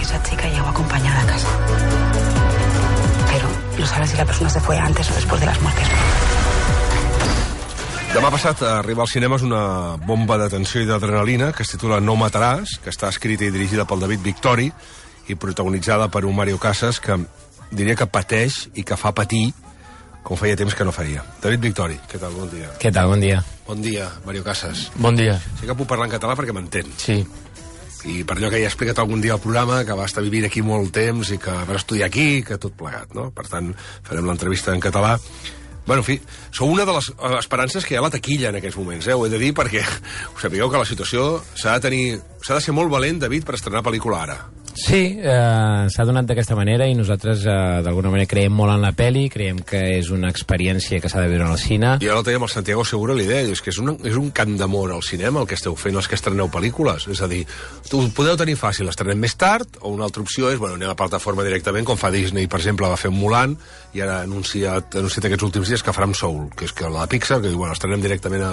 que esa chica llegó acompañada a casa. Pero no sabes si la persona se fue antes o después de las muertes. Demà passat arriba als cinemes una bomba de tensió i d'adrenalina que es titula No mataràs, que està escrita i dirigida pel David Victori i protagonitzada per un Mario Casas que diria que pateix i que fa patir com feia temps que no faria. David Victori, què tal? Bon dia. Què tal? Bon dia. Bon dia, Mario Casas. Bon dia. Sí que puc parlar en català perquè m'entén. Sí. I per allò que ja he explicat algun dia al programa, que va estar vivint aquí molt temps i que va estudiar aquí, que tot plegat, no? Per tant, farem l'entrevista en català. Bueno, en fi, sou una de les esperances que hi ha a la taquilla en aquests moments, ho he de dir, perquè us sapigueu que la situació s'ha de ser molt valent, David, per estrenar pel·lícula ara. Sí, s'ha donat d'aquesta manera i nosaltres d'alguna manera creiem molt en la pel·li, creiem que és una experiència que s'ha de viure al cine. I ara el teníem el Santiago Segura, l'idea és que és un cant d'amor al cinema el que esteu fent els que estreneu pel·lícules, és a dir, ho podeu tenir fàcil, estrenem més tard, o una altra opció és, anem a plataforma directament, com fa Disney, per exemple, va fer Mulan, i ara ha anunciat aquests últims dies que farà amb Soul, que és que la Pixar, que diu, estrenem directament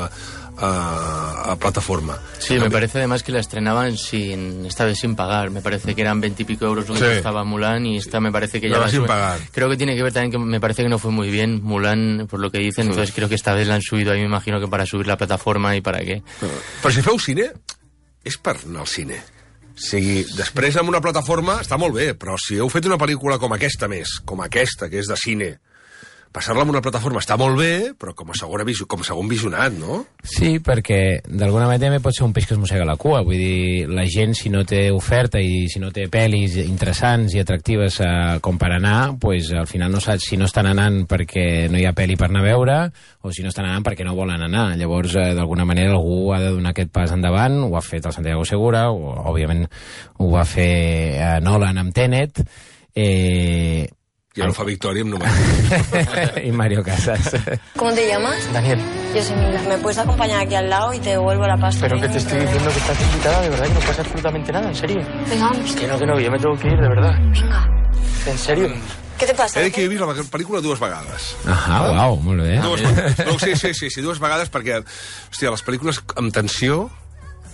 a plataforma. Sí, me parece además que la estrenaban esta vez sin pagar. Me parece que eran 20 y pico euros lo que costaba Mulan y esta me parece que ya sin pagar. Creo que tiene que ver también que me parece que no fue muy bien Mulan, por lo que dicen, entonces creo que esta vez la han subido ahí, me imagino que para subir la plataforma i para què. Però si feu cine, és per anar al cine. O sigui, després amb una plataforma està molt bé, però si heu fet una pel·lícula com aquesta més, com aquesta, que és de cine, passar-la en una plataforma està molt bé, però com a segon visionat, no? Sí, perquè d'alguna manera també pot ser un peix que es mossega la cua. Vull dir, la gent, si no té oferta i si no té pel·lis interessants i atractives com per anar, pues, al final no saps si no estan anant perquè no hi ha pel·li per anar a veure o si no estan anant perquè no volen anar. Llavors, d'alguna manera, algú ha de donar aquest pas endavant. Ho ha fet el Santiago Segura, òbviament ho va fer Nolan amb Tenet, y Alfa Victoria en número. Y Mario Casas. ¿Cómo te llamas? Daniel. Yo soy Mila. ¿Me puedes acompañar aquí al lado y te devuelvo la pasta? Pero que te estoy diciendo que estás invitada, de verdad, que no pasa absolutamente nada, en serio. Venga, vamos. Que no, yo me tengo que ir, de verdad. Venga. ¿En serio? ¿Qué te pasa? He dit que he vist la pel·lícula dues vegades. Uau, molt bé. Sí, dues vegades perquè, hòstia, les pel·lícules amb tensió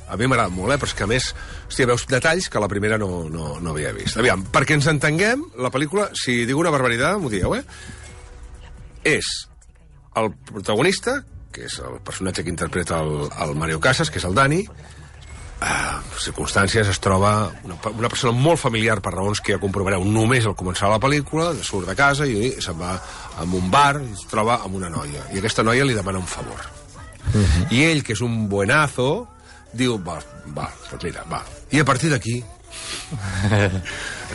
a mi m'agrada molt, però és que a més, hòstia, veus detalls que la primera no havia vist. Aviam, perquè ens entenguem, la pel·lícula, si dic una barbaritat, m'ho dieu, és el protagonista, que és el personatge que interpreta el Mario Casas, que és el Dani, circumstàncies, es troba una persona molt familiar per raons que ja comprovareu només al començar la pel·lícula, surt de casa i se'n va a un bar i es troba amb una noia, i aquesta noia li demana un favor. I ell, que és un buenazo, diu, va, doncs mira, va. I a partir d'aquí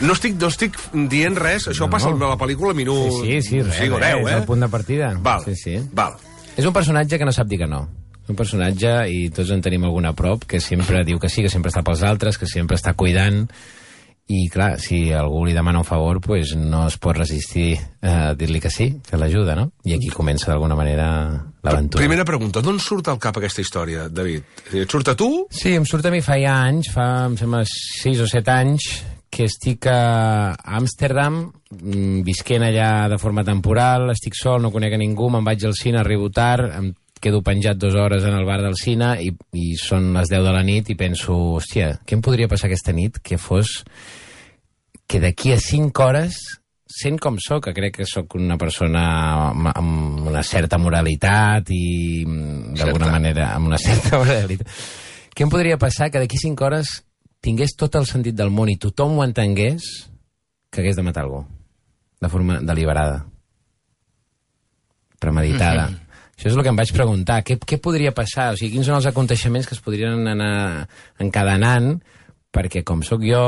no estic dient res, això passa a la pel·lícula minut 5 o 10, és el punt de partida. Val. És un personatge que no sap dir que no. És un personatge, i tots en tenim algun a prop, que sempre diu que sí, que sempre està pels altres, que sempre està cuidant, i clar, si algú li demana un favor, pues no es pot resistir a dir-li que sí, que l'ajuda, no? I aquí comença d'alguna manera l'aventura. Primera pregunta, d'on surt al cap aquesta història, David? Et surt a tu? Sí, em surt a mi fa anys, em sembla 6 o 7 anys, que estic a Amsterdam, visquent allà de forma temporal, estic sol, no conec a ningú, me'n vaig al cine, arribo tard, em quedo penjat 2 hores en el bar del cine i són les 10 de la nit i penso, hòstia, què em podria passar aquesta nit que fos que d'aquí a 5 hores, sent com soc, que crec que sóc una persona amb una certa moralitat i d'alguna manera amb una certa moralitat, què em podria passar que d'aquí 5 hores tingués tot el sentit del món i tothom ho entengués que hagués de matar algú de forma deliberada, premeditada. Això és el que em vaig preguntar. Què podria passar? O sigui, quins són els aconteixements que es podrien anar encadenant perquè, com sóc jo,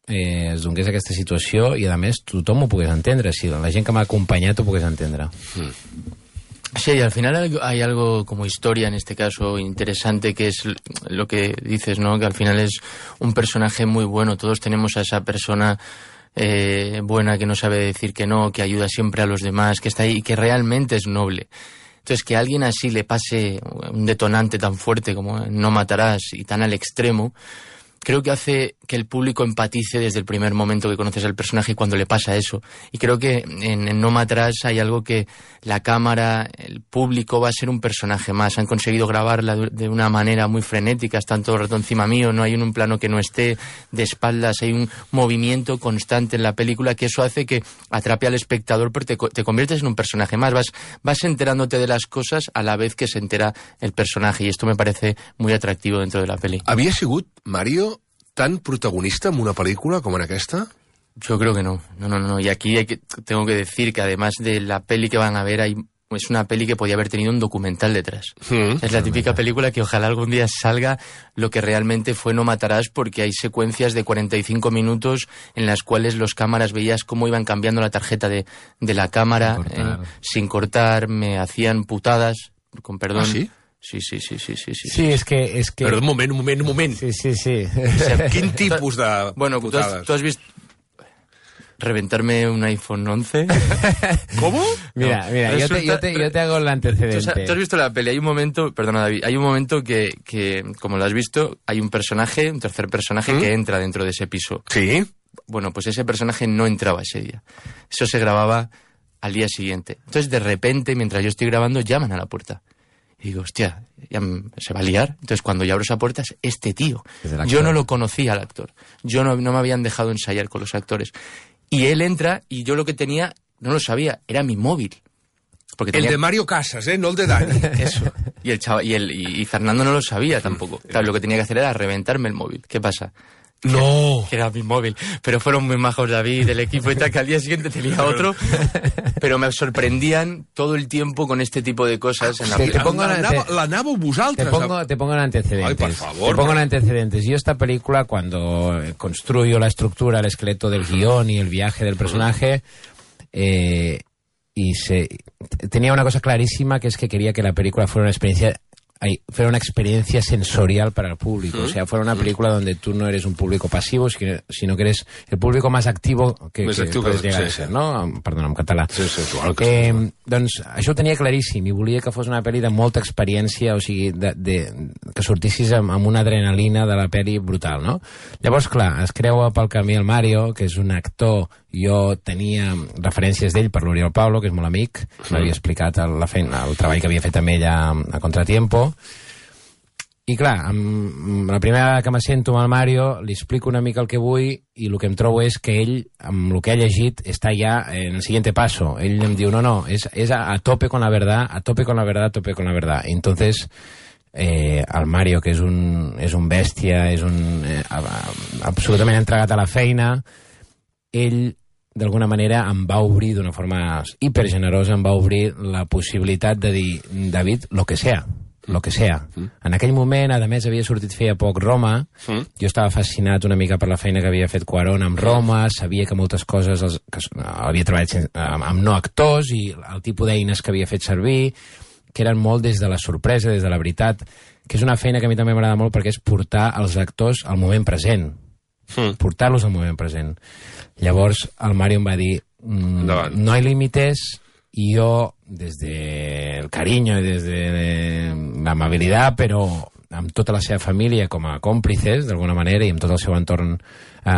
es donés aquesta situació i, a més, tothom ho pogués entendre. Si la gent que m'ha acompanyat ho pogués entendre. Sí, y al final hay algo como historia en este caso interesante, que es lo que dices, ¿no? Que al final es un personaje muy bueno. Todos tenemos a esa persona buena que no sabe decir que no, que ayuda siempre a los demás, que está ahí y que realmente es noble. Entonces, que a alguien así le pase un detonante tan fuerte como No matarás y tan al extremo, creo que hace que el público empatice desde el primer momento que conoces al personaje y cuando le pasa eso. Y creo que en No Matarás hay algo que la cámara, el público va a ser un personaje más. Han conseguido grabarla de una manera muy frenética, están todo el rato encima mío, no hay un plano que no esté de espaldas, hay un movimiento constante en la película que eso hace que atrape al espectador, pero te conviertes en un personaje más, vas enterándote de las cosas a la vez que se entera el personaje, y esto me parece muy atractivo dentro de la peli. Havia sigut, Mario, tan protagonista en una pel·lícula com en aquesta? Yo creo que no. Y aquí tengo que decir que además de la peli que van a ver, es una peli que podía haber tenido un documental detrás. Es la típica película que ojalá algún día salga lo que realmente fue No Matarás, porque hay secuencias de 45 minutos en las cuales los cámaras veías cómo iban cambiando la tarjeta de la cámara sin cortar, me hacían putadas, con perdón. ¿Ah, sí? Sí. Sí, és que... Però un moment. Sí. O sea, quin tipus de bueno, putades? ¿tú has visto reventarme un iPhone 11? ¿Cómo? Mira, yo te hago el antecedente. ¿Tú has visto la peli? Hay un momento, perdona David, hay un momento que como lo has visto, hay un tercer personaje que entra dentro de ese piso. Sí. Bueno, pues ese personaje no entraba ese día. Eso se grababa al día siguiente. Entonces, de repente, mientras yo estoy grabando, llaman a la puerta. Y digo, hostia, ya se va a liar. Entonces, cuando yo abro esa puerta, es este tío. Yo no lo conocía al actor. Yo no me habían dejado ensayar con los actores. Y él entra y yo lo que tenía, no lo sabía, era mi móvil. Porque el de Mario Casas, no el de Dani. Eso. Y el chaval, y Fernando no lo sabía tampoco. Claro, lo que tenía que hacer era reventarme el móvil. ¿Qué pasa? No. Que era mi móvil. Pero fueron muy majos David, el equipo y tal, que al día siguiente tenía otro. Pero me sorprendían todo el tiempo con este tipo de cosas. En la te pongo l'anàveu vosaltres. Te pongo en antecedentes. Ay, por favor. Te pongo en antecedentes. Yo esta película, cuando construyo la estructura, el esqueleto del guión y el viaje del personaje, tenía una cosa clarísima, que es que quería que la película fuera una experiencia sensorial para el público. O sea, fuera una película donde tú no eres un público pasivo, sino que eres el público más activo que puedes llegar a ser, no? Perdona, en català. Sí, claro. Doncs això ho tenia claríssim i volia que fos una pel·li de molta experiència, o sigui, que sortissis amb una adrenalina de la pel·li brutal, no? Llavors, clar, es creua pel camí el Mario, que és un actor. Jo tenia referències d'ell per l'Oriol Pablo, que és molt amic, m'havia explicat el treball que havia fet amb ell a Contratiempo. I clar, la primera vegada que me sento amb el Mario, li explico una mica el que vull i el que em trobo és que ell, amb el que ha llegit, està ja en el siguiente paso. Ell em diu, no, és a tope con la verdad, a tope con la verdad, a tope con la verdad. I entonces el Mario, que és un bèstia, és absolutament entregat a la feina, ell d'alguna manera em va obrir d'una forma hipergenerosa, em va obrir la possibilitat de dir, David, lo que sea. En aquell moment, a més, havia sortit feia poc Roma. Jo estava fascinat una mica per la feina que havia fet Cuarón amb Roma, sabia que moltes coses havia treballat amb no actors i el tipus d'eines que havia fet servir, que eren molt des de la sorpresa, des de la veritat, que és una feina que a mi també m'agrada molt perquè és portar els actors al moment present. Portar-los al moment present. Llavors el Mario em va dir, no hay límites, y yo, desde el cariño y desde la amabilidad, però amb tota la seva família com a còmplices, d'alguna manera, i amb tot el seu entorn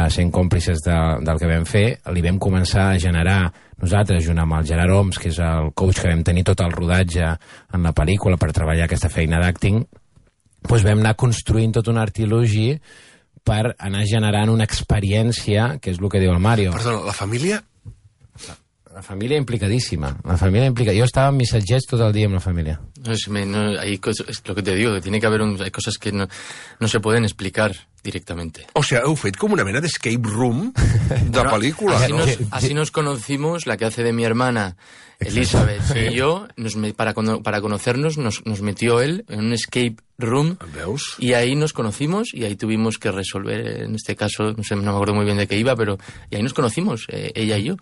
sent còmplices del que vam fer, li vam començar a generar nosaltres, junt amb el Gerard Oms, que és el coach que vam tenir tot el rodatge en la pel·lícula per treballar aquesta feina d'acting, doncs vam anar construint tot un artilugi per anar generant una experiència, que és el que diu el Mario. Perdona, la família... La familia implicadísima. Yo estaba en mis missatgets todo el día en la familia. Hay cosas, es lo que te digo, que tiene que haber hay cosas que no se pueden explicar directamente. O sea, heu fet com una mena d'escape room de pel·lícula. Así nos conocimos, la que hace de mi hermana Elizabeth y yo, para conocernos nos metió él en un escape room. ¿Veus? Y ahí nos conocimos y ahí tuvimos que resolver, en este caso, no me acuerdo muy bien de qué iba, pero y ahí nos conocimos, ella y yo.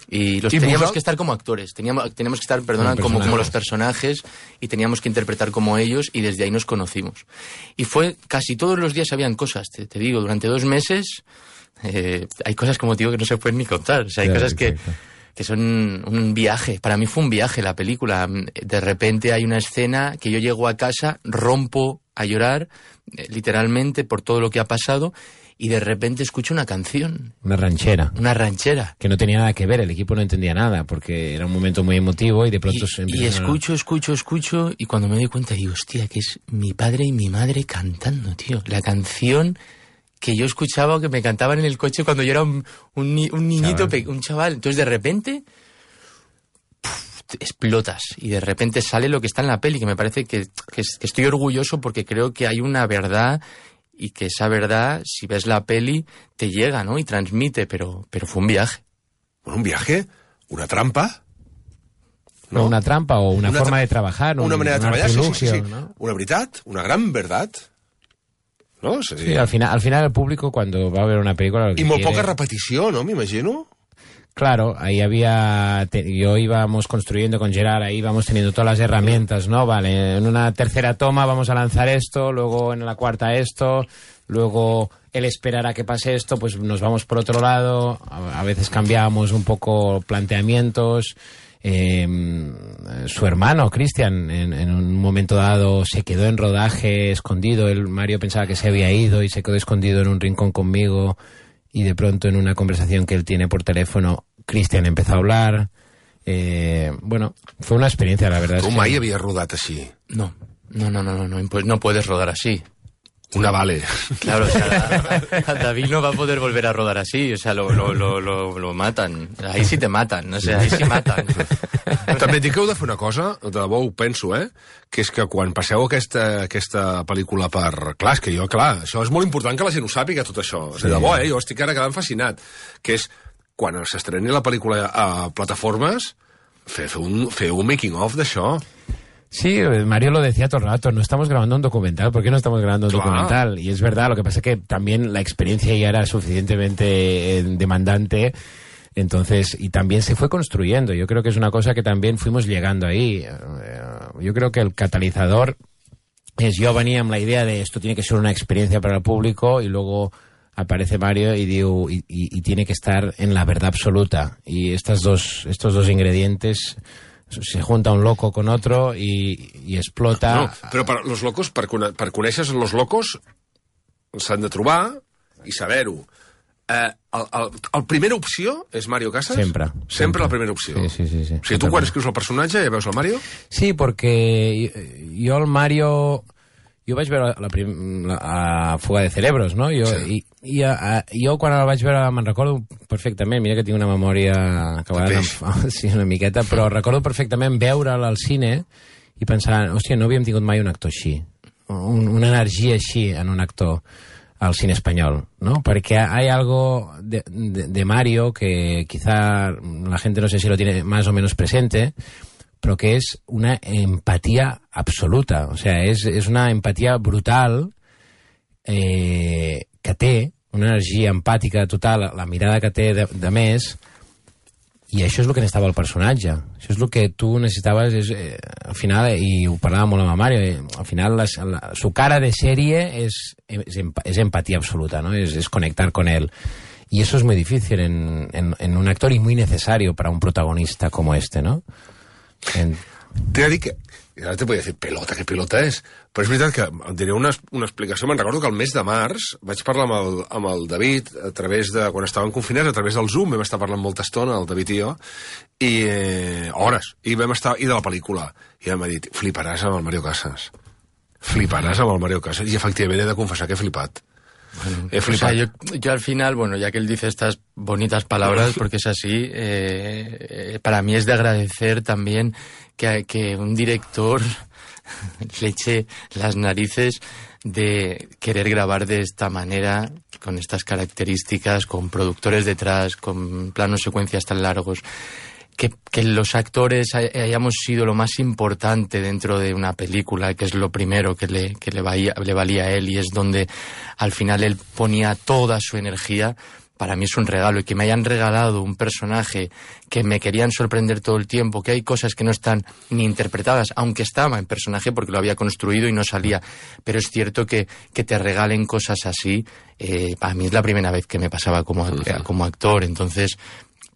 Y teníamos que estar como actores, teníamos que estar, como los personajes, y teníamos que interpretar como ellos, y desde ahí nos conocimos. Y fue, casi todos los días habían cosas, te digo, durante 2 meses hay cosas, como te digo, que no se pueden ni contar. O sea, hay cosas que son un viaje. Para mí fue un viaje la película. De repente hay una escena que yo llego a casa, rompo a llorar, literalmente, por todo lo que ha pasado, y de repente escucho una canción. Una ranchera. Una ranchera. Que no tenía nada que ver, el equipo no entendía nada, porque era un momento muy emotivo y de pronto y escucho, y cuando me doy cuenta digo, hostia, que es mi padre y mi madre cantando, tío. La canción que yo escuchaba o que me cantaban en el coche cuando yo era un niñito, un chaval. Entonces de repente explotas y de repente sale lo que está en la peli, que me parece que estoy orgulloso porque creo que hay una verdad y que esa verdad, si ves la peli, te llega, ¿no? Y transmite, pero fue un viaje. Bueno, un viaje, una trampa. ¿No? Una trampa o una forma de trabajar. Una manera de treballar, sí. ¿no? Una veritat, una gran verdad. No? Sí, al final el público cuando va a ver una película... I molt poca repetició, no? M'imagino. Claro, ahí íbamos construyendo con Gerard, ahí íbamos teniendo todas las herramientas, ¿no? Vale, en una tercera toma vamos a lanzar esto, luego en la cuarta esto, luego él esperará que pase esto, pues nos vamos por otro lado, a veces cambiamos un poco planteamientos. Su hermano, Cristian, en un momento dado se quedó en rodaje escondido, Mario pensaba que se había ido y se quedó escondido en un rincón conmigo. Y de pronto en una conversación que él tiene por teléfono, Cristian empezó a hablar. Bueno, fue una experiencia, la verdad. Tu mai havies rodat així? No, no puedes rodar así. Una vale. Claro, o sea, David no va a poder volver a rodar así, o sea, lo matan. Ahí sí te matan, o sea, ahí sí matan. També dic que heu de fer una cosa, de debò ho penso, que és que quan passeu aquesta pel·lícula per... Clar, és que jo, això és molt important que la gent ho sàpiga, tot això. Sí. De debò, jo estic ara quedant fascinat. Que és, quan s'estreni la pel·lícula a plataformes, fer un making-of d'això. Sí, Mario lo decía todo el rato, no estamos grabando un documental, ¿por qué no estamos grabando un documental? Y es verdad, lo que pasa es que también la experiencia ya era suficientemente demandante, entonces, y también se fue construyendo. Yo creo que es una cosa que también fuimos llegando ahí. Yo creo que el catalizador es, yo venía con la idea de esto tiene que ser una experiencia para el público, y luego aparece Mario y digo, y tiene que estar en la verdad absoluta. Y estos dos ingredientes... se junta un loco con otro y explota... No, però per los locos, per conèixer los locos, s'han de trobar i saber-ho. El primera opció és Mario Casas? Sempre la primera opció. Sí. O sigui, tu quan escrius el personatge ja veus el Mario? Sí, porque jo el Mario... Jo vaig veure la Fuga de Cerebros, no? Jo quan el vaig veure me'n recordo perfectament, mira que tinc una memòria que a vegades sí, una miqueta, però recordo perfectament veure'l al cine i pensar, hòstia, no havíem tingut mai un actor així, una energia així en un actor al cine espanyol, ¿no? Porque hay algo de Mario que quizá la gente no sé si lo tiene más o menos presente, però que és una empatia absoluta, o sea, és una empatia brutal que té, una energia empàtica total, la mirada que té de més, i això és el que necessitava el personatge, això és el que tu necessitaves, al final, i ho parlàvem molt amb Mario, al final su cara de serie es empatía absoluta, ¿no? Es conectar con él. Y eso es muy difícil en un actor y muy necesario para un protagonista como este, ¿no? T'he de dir que... Ara te podria dir, pelota, que pelota és? Però és veritat que em diré una explicació. Me'n recordo que el mes de març vaig parlar amb el David a través de... Quan estàvem confinats, a través del Zoom, vam estar parlant molta estona, el David i jo, i hores, i vam estar... I de la pel·lícula. I ell m'ha dit, fliparàs amb el Mario Casas. Fliparàs amb el Mario Casas. I efectivament he de confessar que he flipat. Bueno, o sea, yo al final, bueno, ya que él dice estas bonitas palabras, porque es así, para mí es de agradecer también que un director le eche las narices de querer grabar de esta manera, con estas características, con productores detrás, con planos secuencias tan largos. Que los actores hayamos sido lo más importante dentro de una película, que es lo primero que le valía a él, y es donde al final él ponía toda su energía, para mí es un regalo. Y que me hayan regalado un personaje que me querían sorprender todo el tiempo, que hay cosas que no están ni interpretadas, aunque estaba en personaje porque lo había construido y no salía, pero es cierto que te regalen cosas así, para mí es la primera vez que me pasaba como actor, entonces...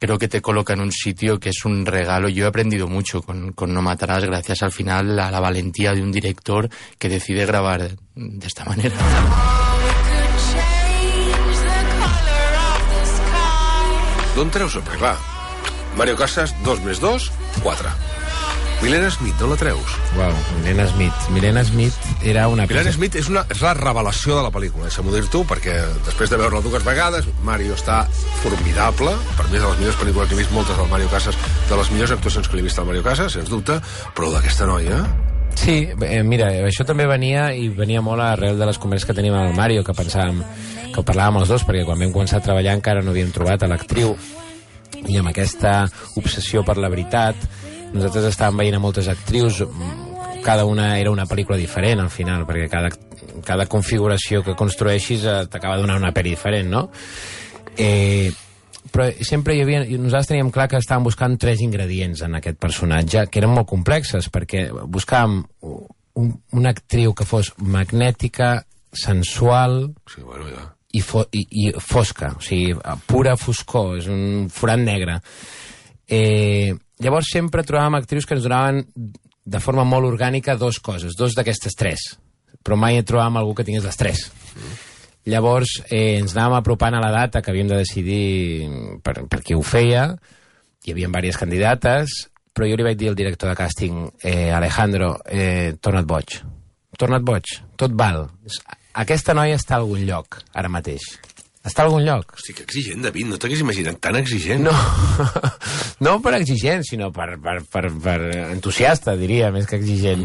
Creo que te coloca en un sitio que es un regalo. Yo he aprendido mucho con No Matarás, gracias al final a la valentía de un director que decide grabar de esta manera. D'on treus? Perquè, clar, Mario Casas, 2 més 2, 4. Milena Smith, d'on la treus? Uau, Milena Smith. Milena Smith era una... Milena Smith és la revelació de la pel·lícula, deixa'm-ho dir tu, perquè després de veure-la 2 vegades, Mario està formidable, per mi és de les millors pel·lícules que he vist, moltes del Mario Casas, de les millors actuacions que li he vist al Mario Casas, sens dubte, però d'aquesta noia... Sí, mira, això també venia molt arrel de les converses que teníem amb el Mario, que pensàvem, que ho parlàvem els dos, perquè quan vam començar a treballar encara no havíem trobat a l'actriu, i amb aquesta obsessió per la veritat, nosaltres estàvem veient a moltes actrius, cada una era una pel·lícula diferent al final, perquè cada configuració que construeixis t'acaba donant una pel·li diferent, no? Però sempre nosaltres teníem clar que estàvem buscant 3 ingredients en aquest personatge, que eren molt complexes, perquè buscàvem una actriu que fos magnètica, sensual... Sí, bueno, ja. I fosca, o sigui, pura foscor, és un forat negre. Llavors sempre trobàvem actrius que ens donaven de forma molt orgànica 2 coses, 2 d'aquestes 3, però mai trobàvem algú que tingués les 3. Llavors ens anàvem apropant a la data que havíem de decidir per qui ho feia, hi havia diverses candidates, però jo li vaig dir al director de càsting, Alejandro, torna't boig, tot val. Aquesta noia està a algun lloc, ara mateix. Està a algun lloc. Hosti, que exigent, David, no t'hagués imaginat tan exigent. No, no per exigent, sinó per entusiasta, diria, més que exigent.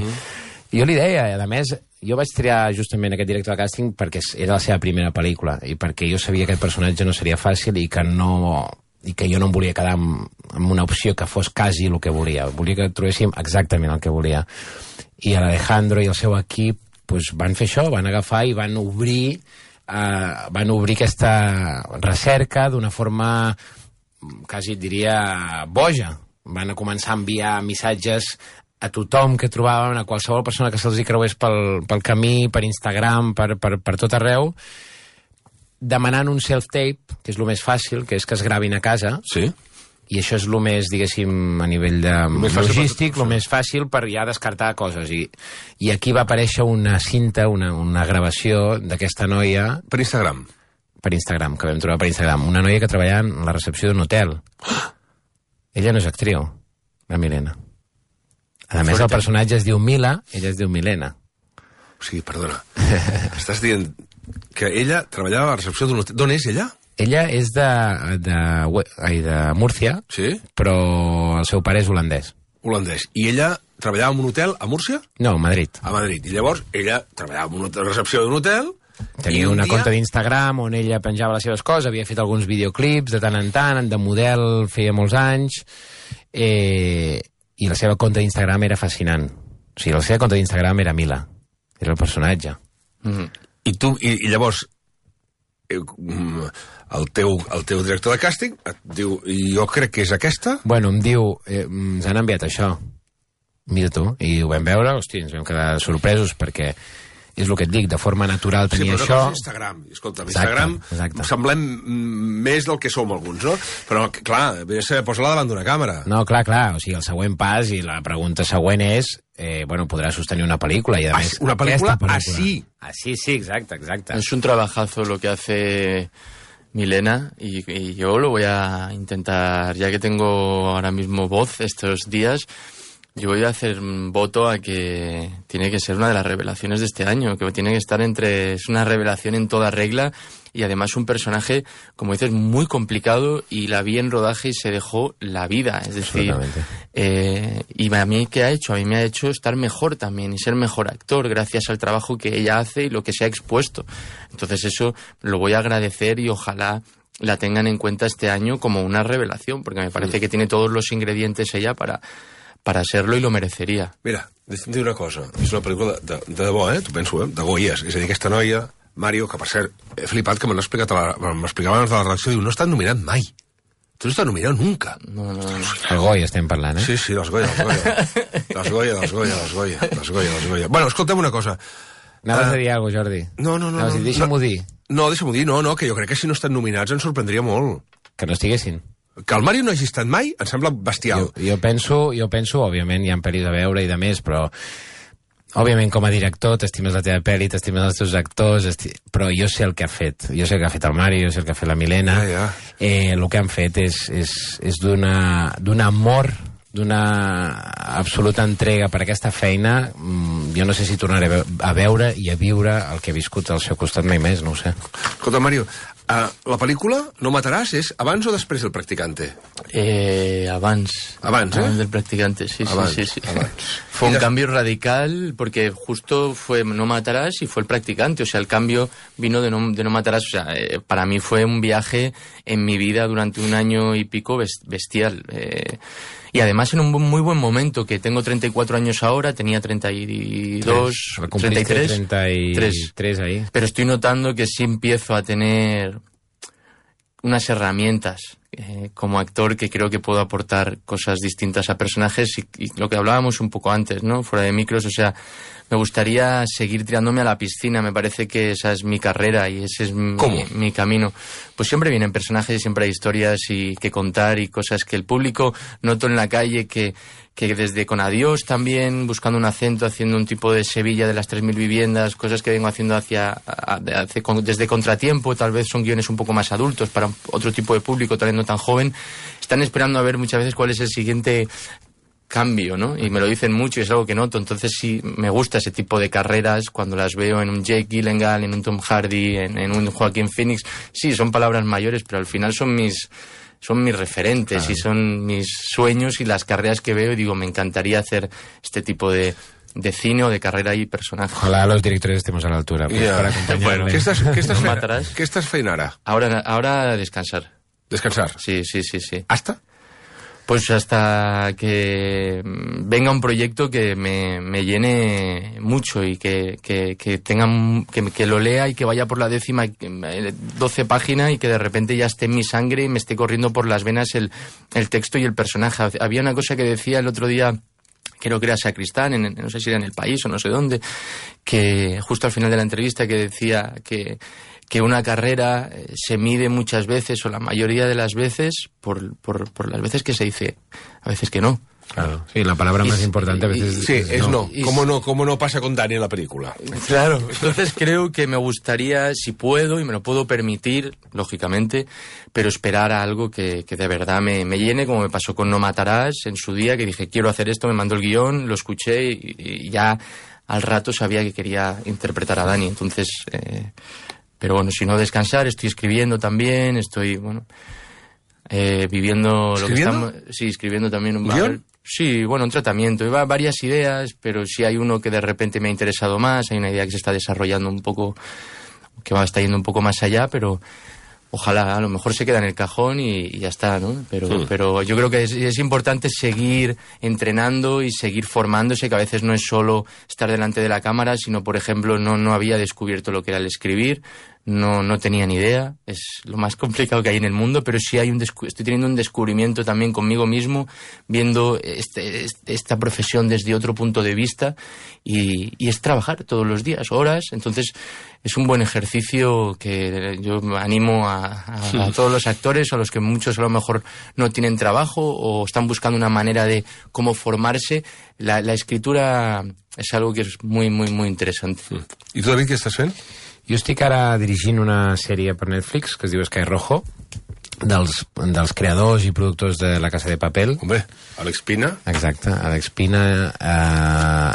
Jo li deia, a més, jo vaig triar justament aquest director de càsting perquè era la seva primera pel·lícula i perquè jo sabia que aquest personatge no seria fàcil i que jo no em volia quedar amb una opció que fos quasi el que volia. Volia que trobéssim exactament el que volia. I l'Alejandro i el seu equip van fer això, van agafar i van obrir aquesta recerca d'una forma quasi diria boja. Van començar a enviar missatges a tothom que trobaven, a qualsevol persona que se'ls hi creués pel camí, per Instagram, per tot arreu, demanant un self-tape, que és el més fàcil, que és que es gravin a casa. Sí. I això és el més, diguéssim, a nivell de logístic, el més fàcil per ja descartar coses. I aquí va aparèixer una cinta, una gravació d'aquesta noia... Per Instagram? Per Instagram, que vam trobar per Instagram. Una noia que treballava en la recepció d'un hotel. Ella no és actriu, la Milena. A més, el personatge es diu Mila, ella es diu Milena. O sigui, perdona, estàs dient que ella treballava a la recepció d'un hotel. D'on és ella? Ella és de Múrcia, sí? Però el seu pare és holandès. Holandès. I ella treballava en un hotel a Múrcia? No, a Madrid. A Madrid. I llavors ella treballava en una recepció d'un hotel... Tenia una compte d'Instagram on ella penjava les seves coses, havia fet alguns videoclips de tant en tant, de model feia molts anys, i la seva compte d'Instagram era fascinant. O sigui, la seva compte d'Instagram era Mila, era el personatge. I llavors... El teu director de càsting et diu, jo crec que és aquesta? Bueno, em diu, ens han enviat això, mira tu, i ho vam veure, hosti, ens vam quedar sorpresos perquè és el que et dic, de forma natural tenia això. Sí, però no és Instagram. Escolta, Instagram semblem més del que som alguns, no? Però, clar, posa-la davant d'una càmera. No, clar, o sigui, el següent pas i la pregunta següent és, bueno, podrà sostenir una pel·lícula i, a més, una pel·lícula así. Así, sí, exacte. Es un trabajazo lo que hace Milena y yo lo voy a intentar, ya que tengo ahora mismo voz estos días, yo voy a hacer un voto a que tiene que ser una de las revelaciones de este año, que tiene que estar es una revelación en toda regla y además un personaje, como dices, muy complicado y la vi en rodaje y se dejó la vida, es decir, y a mí ¿qué ha hecho? A mí me ha hecho estar mejor también y ser mejor actor gracias al trabajo que ella hace y lo que se ha expuesto. Entonces eso lo voy a agradecer y ojalá la tengan en cuenta este año como una revelación, porque me parece que tiene todos los ingredientes ella para serlo i lo mereceria. Mira, deixa'm dir una cosa. És una pel·lícula de debò, t'ho penso, de Goyes. És a dir, aquesta noia, Mario, que per cert, he flipat que m'explicava abans de la redacció, diu, no ha estat nominat mai. Tu no estàs nominat nunca. No. El Goya estem parlant, Sí, dels Goya. Bueno, escolta'm una cosa. Anaves a dir alguna cosa, Jordi? No. Deixa'm-ho dir. No, deixa'm-ho dir, no, que jo crec que si no estan nominats ens sorprendria molt. Que no estiguessin. Que el Mario no hagi estat mai em sembla bestial. Jo penso, òbviament, hi ha pel·lis a veure i de més, però òbviament, com a director, t'estimes la teva pel·li, t'estimes els teus actors, però jo sé el que ha fet. Jo sé el que ha fet el Mario, jo sé el que ha fet la Milena. El que han fet és d'un amor, d'una absoluta entrega per aquesta feina. Jo no sé si tornaré a veure i a viure el que he viscut al seu costat mai més, no ho sé. Escolta, Mario, la pel·lícula No mataràs és abans o després del Practicante? Abans del Practicante, sí. Fue un cambio radical porque justo fue No matarás y fue el Practicante, o sea, el cambio vino de No matarás, o sea, para mí fue un viaje en mi vida durante un año y pico bestial. Y además en un muy buen momento, que tengo 34 años ahora, tenía 32, 33. 33 ahí. Pero estoy notando que sí empiezo a tener unas herramientas como actor que creo que puedo aportar cosas distintas a personajes y lo que hablábamos un poco antes, ¿no? Fuera de micros, o sea, me gustaría seguir tirándome a la piscina, me parece que esa es mi carrera y ese es mi camino. Pues siempre vienen personajes y siempre hay historias y que contar y cosas que el público noto en la calle que desde Con Adiós también, buscando un acento, haciendo un tipo de Sevilla de las 3.000 viviendas, cosas que vengo haciendo desde Contratiempo, tal vez son guiones un poco más adultos para otro tipo de público, tal vez no tan joven, están esperando a ver muchas veces cuál es el siguiente cambio, ¿no? Y me lo dicen mucho y es algo que noto, entonces sí me gusta ese tipo de carreras cuando las veo en un Jake Gyllenhaal, en un Tom Hardy, en un Joaquín Phoenix. Sí, son palabras mayores, pero al final son mis referentes y son mis sueños y las carreras que veo y digo, me encantaría hacer este tipo de cine o de carrera y personaje. Ojalá los directores estemos a la altura para acompañarle. Bueno, ¿qué estás fent ara? Ahora descansar. ¿Descansar? Sí. ¿Hasta? Pues hasta que venga un proyecto que me llene mucho y que lo lea y que vaya por la 12 página y que de repente ya esté en mi sangre y me esté corriendo por las venas el texto y el personaje. Había una cosa que decía el otro día, creo que era Sacristán, no sé si era en El País o no sé dónde, que justo al final de la entrevista que decía que una carrera se mide muchas veces o la mayoría de las veces por las veces que se dice, a veces que no. Claro, sí, la palabra más importante a veces es no. ¿Cómo no pasa con Dani en la película? Claro, entonces creo que me gustaría, si puedo, y me lo puedo permitir, lógicamente, pero esperar a algo que de verdad me llene, como me pasó con No matarás en su día, que dije, quiero hacer esto, me mandó el guión, lo escuché y ya al rato sabía que quería interpretar a Dani, entonces... Pero bueno, si no descansar, estoy escribiendo también, estoy, viviendo lo que estamos... Sí, escribiendo también un ¿guión? Sí, un tratamiento. Iba varias ideas, pero sí hay uno que de repente me ha interesado más, hay una idea que se está desarrollando un poco, que está yendo un poco más allá, pero ojalá, a lo mejor se queda en el cajón y ya está, ¿no? Pero yo creo que es importante seguir entrenando y seguir formándose, que a veces no es solo estar delante de la cámara, sino, por ejemplo, no había descubierto lo que era el escribir, no tenía ni idea, es lo más complicado que hay en el mundo, pero sí estoy teniendo un descubrimiento también conmigo mismo, viendo esta profesión desde otro punto de vista y es trabajar todos los días, horas, entonces es un buen ejercicio que yo animo a todos los actores, a los que muchos a lo mejor no tienen trabajo o están buscando una manera de cómo formarse. La escritura es algo que es muy, muy, muy interesante. I tu, David, què estàs fent? Jo estic ara dirigint una sèrie per Netflix que es diu Sky Rojo, dels creadors i productors de La Casa de Papel. Hombre, Àlex Pina. Exacte, Àlex Pina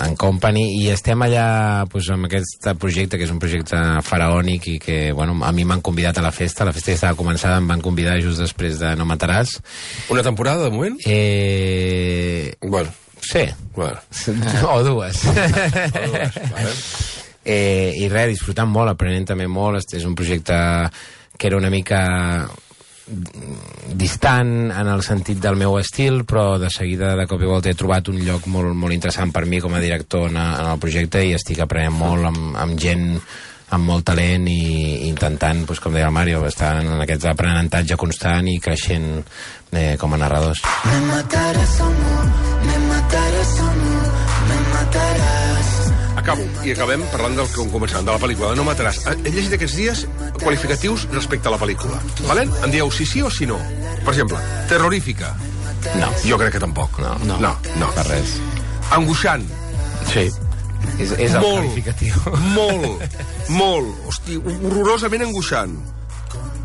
en company, i estem allà amb aquest projecte, que és un projecte faraònic i que, a mi m'han convidat a la festa ja estava començada, em van convidar just després de No mataràs. Una temporada, de moment? Sí. O dues. Vale. I res, disfrutant molt, aprenent també molt. És un projecte que era una mica distant en el sentit del meu estil, però de seguida, de cop i volta, he trobat un lloc molt, molt interessant per mi com a director en el projecte i estic aprenent molt amb gent amb molt talent i intentant, com deia el Mario, estar en aquest aprenentatge constant i creixent com a narradors. Me mataràs, amor, me mataràs, amor, me mataràs. Acabo, i acabem parlant del que començàvem, de la pel·lícula, de No mataràs. He llegit aquests dies qualificatius respecte a la pel·lícula. Valen? Em dieu sí o sí no. Per exemple, terrorífica. No. Jo crec que tampoc. No. Per res. Angoixant. Sí. És el qualificatiu. Molt. Hosti, horrorosament angoixant.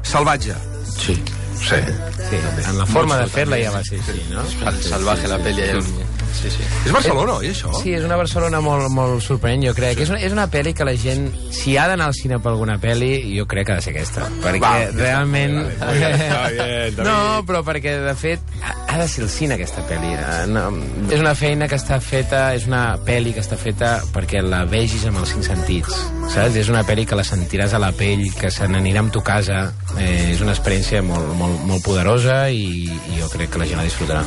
Salvatge. Sí. Sí. Sí, en la forma de fer-la ja va ser així, no? Salvaje la pel·li. Sí. És Barcelona, oi, això? Sí, és una Barcelona molt sorprenent, jo crec. És una pel·li que la gent, si ha d'anar al cine per alguna pel·li, jo crec que ha de ser aquesta. Perquè realment... No, però perquè, de fet, ha de ser el cine, aquesta pel·li. No, és una feina que està feta, és una pel·li que està feta perquè la vegis amb els 5 sentits, saps? És una pel·li que la sentiràs a la pell, que se n'anirà amb tu casa. És una experiència molt poderosa i jo crec que la gent la disfrutarà.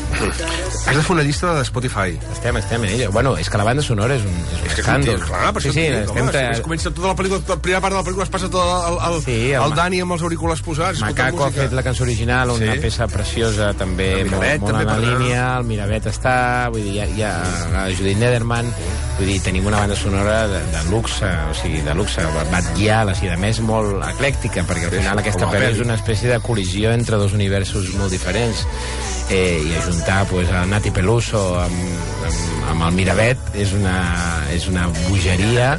Has de fer una llista de Spotify. Estem en ella. Bueno, és que la banda sonora és un escàndol. Clar, per això comença tota la pel·lícula, la primera part de la pel·lícula es passa tot el Dani amb els auriculars posats. Macaco ha fet la cançó original, una peça preciosa, també molt en la línia, el Miravet està, vull dir, hi ha Judith Nederman, vull dir, tenim una banda sonora de luxe, o sigui, de luxe, batguial, a més molt eclèctica, perquè al final aquesta pel·li és una espècie de col·lisió entre dos universos molt diferents. I ajuntar pues, a Nati Peluso amb el Miravet és una bogeria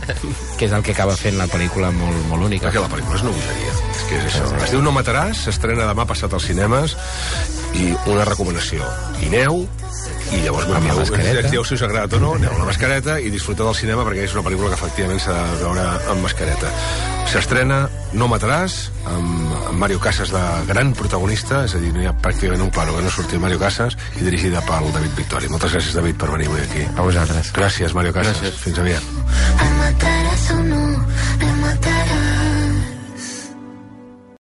que és el que acaba fent la pel·lícula molt única. Perquè la pel·lícula és una bogeria, és que és això. Es diu No mataràs, s'estrena demà passat als cinemes, i una recomanació: Ineu, i llavors dieu si us ha agradat o no, aneu a la mascareta i disfruteu del cinema, perquè és una pel·lícula que efectivament s'ha de veure amb mascareta. S'estrena No mataràs, amb Mario Casas de gran protagonista, és a dir, no hi ha pràcticament un plano que no surti Mario Casas, i dirigida pel David Victori. Moltes gràcies, David, per venir avui aquí. A vosaltres. Gràcies, Mario Casas. Gràcies. Fins aviat.